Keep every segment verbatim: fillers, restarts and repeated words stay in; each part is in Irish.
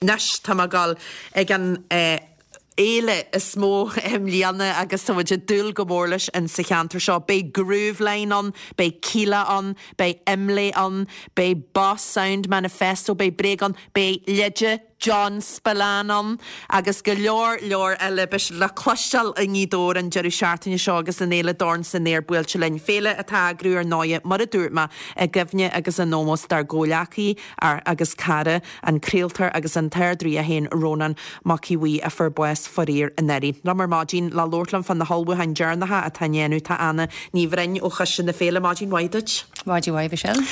Anois tá mé ag dul ag an fhéile is mó i mbliana agus tá muid ag dúil go mór leis in sa cheantar seo. Beidh Grooveline ann, beidh Kíla ann, beidh Imlé ann, beidh Boss Sound Manifesto, beidh Bréag ann, beidh Leide John Spillane ann agus go leor leor eile beidh le cloisteáil i nGaoth Dobhair an deireadh seachtaine seo agus an fhéile Dorn san Aer buailte linn. Féile atá á eagrú ar ndóigh mar a dúirt mé i gcuimhne agus in ómós dár gcomhghleacaí agus cara an craoltóir agus an t-ardrí é féin Rónán Mac Aodha Bhuí a fuair bás faraor anuraidh. Liom ar maidin le labhairt liom fá na hullmhúcháin deireanacha atá á ndéanamh tá Anna Ní Bhroin ó Choiste na Féile maidin mhaith duit. Maidin mhaith Michelle.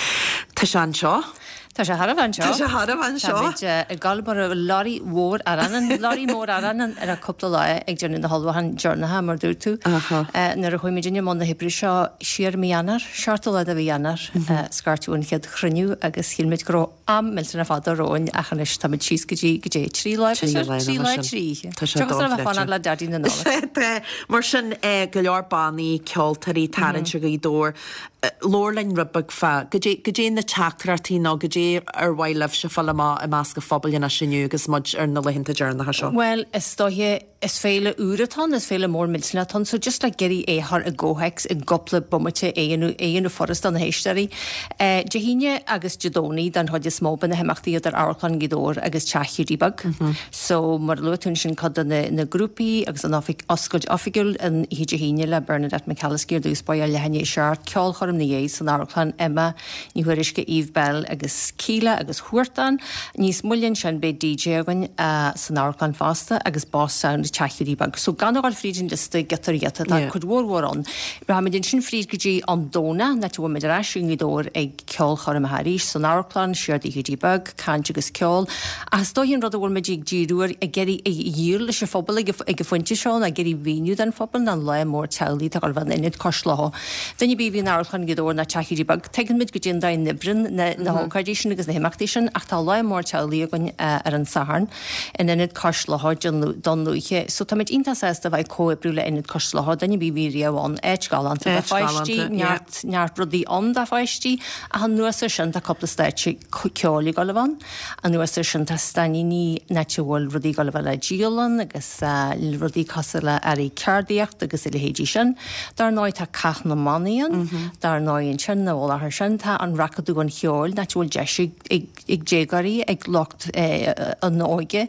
Tá sé anseo. Tá sé thar a bheith anseo. Tá sé thar a bheith anseo. Táimid ag gabháil mar lorry mhór arán, lorry mór arán ar a cúpla lá ag déanamh na hullmhúcháin deireanacha mar dúirt tú. Nuair a chuaigh muid i mbun na hoibre seo siar mí Eanáir, seachtú lá de mhí Eanáir, scairteadh an chéad chruinniú agus shíl muid go raibh am millteanach fada romhainn ach anois táimid síos go dtí go dtí trí lá trí lá trí oíche. Tá sé dochreidte. Le Daidí na Nollag. Mar sin go leor bannaí, ceoltóirí, tarraingt ar Ghaoth Dobhair. Labhair linn rud beag fá goidé goidé na teachtaireachtaí nó goidé ar mhaith libhse fáil amach i measc an phobail anois inniu agus muid ar na laethanta deireanacha seo. Well, is dóiche is féile úr atá ann, is féile mór millteanach atá ann, so just like iarraidh é a chur i gcomhthéacs i gcúpla bomaite é a dhéanamh furast do na héisteoirí. Dé hAoine agus Dé Domhnaigh don chuid is mó beidh na himeachtaí idir Amharclann Ghaoth Dobhair agus Teach Hiúdaí Beag. So mar a luaigh tú ansin cuid de na, na grúpaí agus an oifig, oscailt oifigiúil an oíche Dé hAoine le Bernadette McAliskey ar dtús báire leath i ndiaidh a seacht, ceolchoirm ina dhiaidh san Amharclann Emma Ní Thuairisg, Eve Belle agus Kíla agus Huartan. Níos moille ansin beidh DJ againn uh, san Amharclann fosta agus Boss Sound Teach Hiúdaí Beag. So gan a ghabháil fríd an liosta giota ar ghiota tá cuid mhór mhór ann. Rachaimid ansin fríd go dtí an Domhnach, áit a bhfuil muid ar ais i nGaoth Dobhair ag ceolchoirm arís san Amharclann, siar Tigh Hiúdaí Beag, caint agus ceol. Ach is dóiche an rud a bhfuil muid ag díriú air ag iarraidh a dhíol leis an phobal ag an phointe seo ná ag iarraidh mhíniú don phobal ná an lá mór teaghlaigh atá ag dul a bheith in Ionad Cois Locha. Duine ar bith a bhí in Amharclann Ghaoth Dobhair ná Teach Hiúdaí Beag, tuigeann muid goidé an dóigh a n-oibríonn na na hócáidí sin agus na himeachtaí sin ach tá lá mór teaghlaigh againn ar an Satharn in Ionad Cois Locha Dún Lúiche. So táimid iontach sásta a bheith ag comhoibriú le Ionad Cois Locha, duine ar bith a bhí riamh ann, áit galánta do pháistí, neart neart rudaí ann do pháistí, ach anuas air sin tá cúpla stáitse ceoil ag dul a bheith ann. Anuas air sin tá stainníní áit a bhfuil rudaí ag dul a bheith le díol ann agus rudaí cosúil le earraí ceardaíocht agus a leithéidí sin. Dar ndóigh tá Cath na mBannaí ann, dar ndóigh ansin na bhfuil sin tá an Racadamh an Cheoil, áit a bhfuil deis ag ag déagóirí ag lucht an óige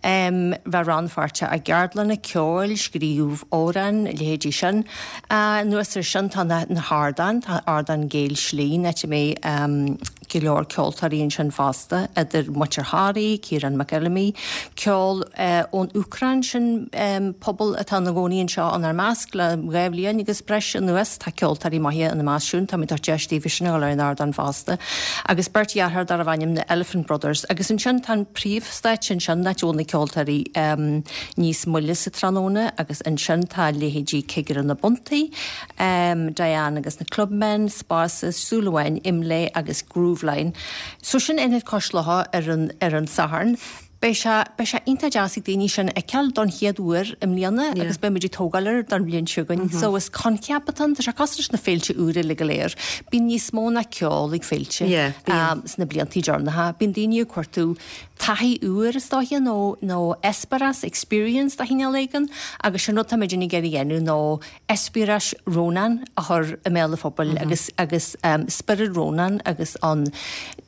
bheith rannpháirteach i gceardlanna ceoil, scríobh amhrán, a leithéidí sin. Anuas air sin tá na hardáin, tá ardán Géill Slí, áit a mbeidh go leor ceoltóirí ansin fosta, idir Muintir Thoraí, Ciarán McPhillamy, ceol ón Úcráin sin pobal atá ina gcónaí anseo inár measc le dhá bhliain agus breis anuas, tá ceoltóirí maithe ina measc siúd, táimid ag tabhairt deis daofa sin a dhul ar an ardán fosta. Agus beirt dheartháir darbh ainm na Elephant Brothers. Agus ansin tá an príomhstáitse ansin, áit a bhfuil na ceoltóirí níos moille sa tráthnóna agus ansin tá leithéidí Cigire na bPuntaí, Diane agus na Clubmen, Spása, Súil Amháin, Imlé agus Grooveline. So sin Ionad Cois Locha ar an, ar an Satharn. Beidh sé, beidh sé iontach deas ag daoine sin a fheiceáil don chéad uair i mbliana agus beidh muid ag tógáil air don bhliain seo chugainn. So is coincheap atá ann, tá sé cosúil leis na féilte úra uilig go léir. Bíonn níos mó ná ceol ag féilte sna bliantaí deireanacha. Bíonn daoine ag cuartú taithí úr is dóiche nó nó eispéireas, experience de chineál éigin agus sin rud tá muid ag iarraidh a dhéanamh nó eispéireas Rónán a chur i mbéal an phobail agus agus spiorad Rónán agus an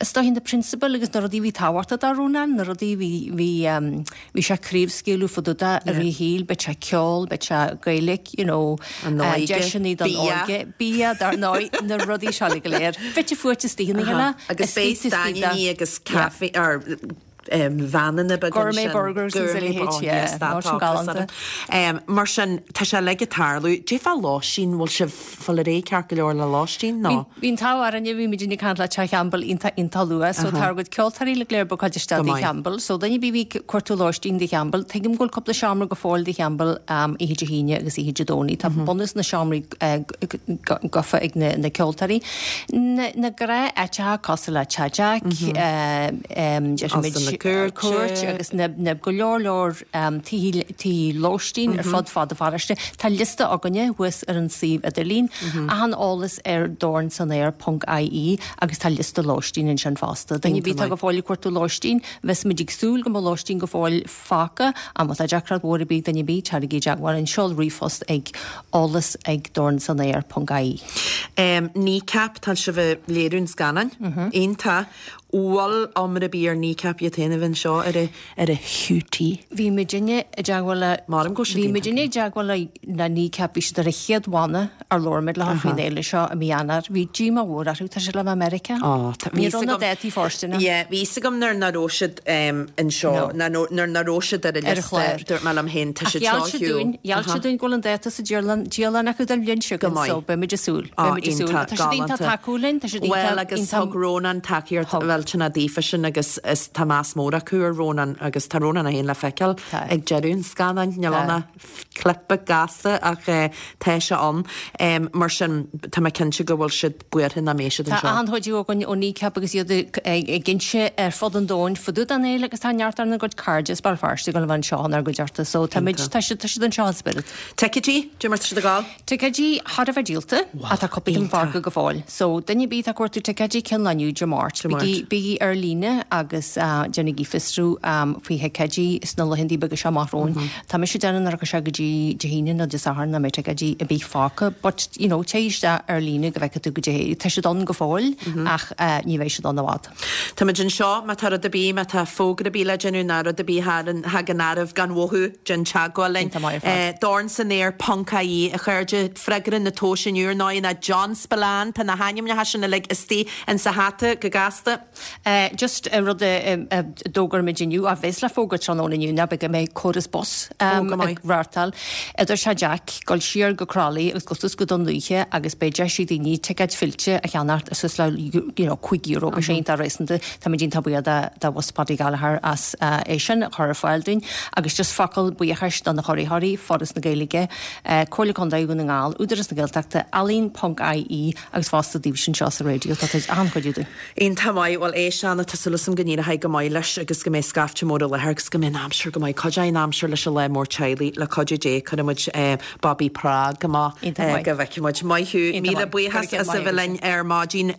is dóiche na prionsabail agus na rudaí a bhí tábhachtach do Rónán, na rudaí bhí bhí bhí sé ag craobhscaoileadh fá dtaobh de i rith a shaoil, beidh sé ceol, beidh sé Gaeilge, you know, deiseanna don óige, bia dar ndóigh, na rudaí seo uilig go léir. Fite fuaite istigh ina chéile. Agus beidh stainníní agus caife or veaineanna beaga Gourmet burgers agus a leithéid, yeah. Nó sin galánta. Mar sin, tá sé uilig ag tarlú. Cad é fá lóistín, bhfuil sibh fáil réidh ceart go leor le lóistín nó? Bhí an t-ádh orainn, bhí muid ag caint le Teach Champbell iontach iontach luath, so tá ár gcuid ceoltóirí uilig go léir bookáilte isteach Tigh Champbell, so duine ar bith a bhí ag cuartú lóistín Tigh Champbell, tuigim go bhfuil cúpla seomra go fóill Tigh Champbell oíche Dé hAoine agus oíche Dé Domhnaigh, tá bunús na seomraí gafa ag na ceoltóirí. Na gnáth-áiteacha cosúil le Teach Jack, déarfaimid na cúirte. Cúirt agus na, na go leor leor um, tithe lóistín ar fud fad an pharóiste. Tá liosta againne thuas ar an suíomh idirlín, achan eolas ar dornsanaer.ie agus tá liosta lóistín ansin fosta. Duine ar bith atá go fóill ag cuartú lóistín, bheas muid ag súil go mbeidh lóistín go fóill fágtha, ach má tá deacracht mhór ar bith duine ar bith tarraigí i dteagmháil linn seol ríomhphost ag eolas ag dornsanaer.ie. Um, Kneecap tá sibh ag léiriú an scannáin. Iontach bhfuil iomrá ar bith ar Kneecap iad féin a bheith anseo ar a ar a hiútaí. Bhí muidinne i dteagmháil le Maram go siad Bhí muidinne i dteagmháil le na Kneecap bhí siad ar an chéad bhanna ar labhair muid leo faoin fhéile seo i mí Eanáir. Bhí díomá mhór orthu tá siad le America. Ó, tá- Ní bhí raibh na agam- dátaí fóirsteanach. Yeah, bhí fhios agam nuair nach raibh siad um, anseo No. na nó- nuair nach raibh siad ar a Ar an liosta chlár. dúirt mé liom féin tá Ach siad gheall seo siad dúinn, gheall siad dúinn go bhfuil an dáta sa dialann dialann acu don bhliain seo Go maith. so beimid ag súil. Á, Beimid ag súil. iontach, Tá siad iontach galánta. tacúil linn, tá siad Well iontach agus iontach- thug Rónán tacaíocht Thug. bhfuil daofa sin agus is tá meas mór acu ar Rónán agus tá Rónán é féin le feiceáil Tá. ag deireadh an scannáin níl Tá. ann clip gasta ach eh, tá sé ann um, mar sin tá mé cinnte go bhfuil siad buartha nach mbeidh siad Tá anseo. an-chuidiú againn ó Kneecap agus iad ag ag inse ar fud an domhain fud an fhéile agus tá neart ar na gcuid cairde as Béal Feirste go bhfuil anseo ar gcuid orthu, so tá muid- tá siad tá siad anseo in spirit. Ticéidí, cad é mar tá siad ag gabháil? Ticéidí thar a bheith díolta ach tá cúpla iontach. fágtha go fóill. So duine ar bith ag cuartú ticéidí cinn lá inniu Dé Máirt. Dé Máirt. Bígí bígí ar líne agus uh, déanaigí fiosrú um, faoi thicéidí sna laethanta beaga seo amach romhainn. Mm -hmm. Tá mise ag déanamh go sé go dtí Dé hAoine nó Dé Sathairn nach mbeidh ticéidí ar bith fágtha, but you know, téigh isteach ar líne go bhfeicfidh tú go dté tá siad ann go fóill mm -hmm. ach uh, ní bheidh siad ann i bhfad. Tá muid anseo má tá rud ar bith má tá fógra ar bith le déanamh ná rud ar bith thagann oraibh gan mhoill déan teagmháil linn. Iontach maith ar fad. Eh, Dorn san aer ponc ie a chairde freagra na tomhais inniu ná ná John Spillane tá na hainmneacha sin uilig istigh in sa hata go gasta. Uh, just uh, rud uh, d'fhógair muid inniu a bheas le fógairt tráthnóna inniu ná go mbeidh córas bus um, Ó, go maith. ag reáchtáil idir Teach Jack gabháil siar go Crolly agus go suas go Dún Lúiche agus beidh deis ag daoine ticéid fillte a cheannacht suas le you know, cúig euro mm -hmm. sé tá réasúnta Tá muid iontach buíoch de de Bhus Paddy Gallagher as uh, é sin a chur ar fáil dúinn agus just focal buíochais do na hurraitheoirí Foras na Gaeilge uh, Comhairle Contae Dhún na nGall, Údarás na Gaeltachta ealaín.ie agus fosta daoibh sin seo sa raidió tá an-chuidiú dúinn. Iontach maith bhuel é seanna tá súil agam go n-éireoidh go maith leis agus go mbeidh scaifte mór i láthair agus go mbeidh an aimsir go maith cuid an aimsir leis an lá mór teaghlaigh le cuidiú Dé cuirfimid eh, Bobby Prague amach Iontach maith. go bhfeicfimid maith thú Iontach míle maith. buíochas Go raibh as a maith bheith linn ar maidin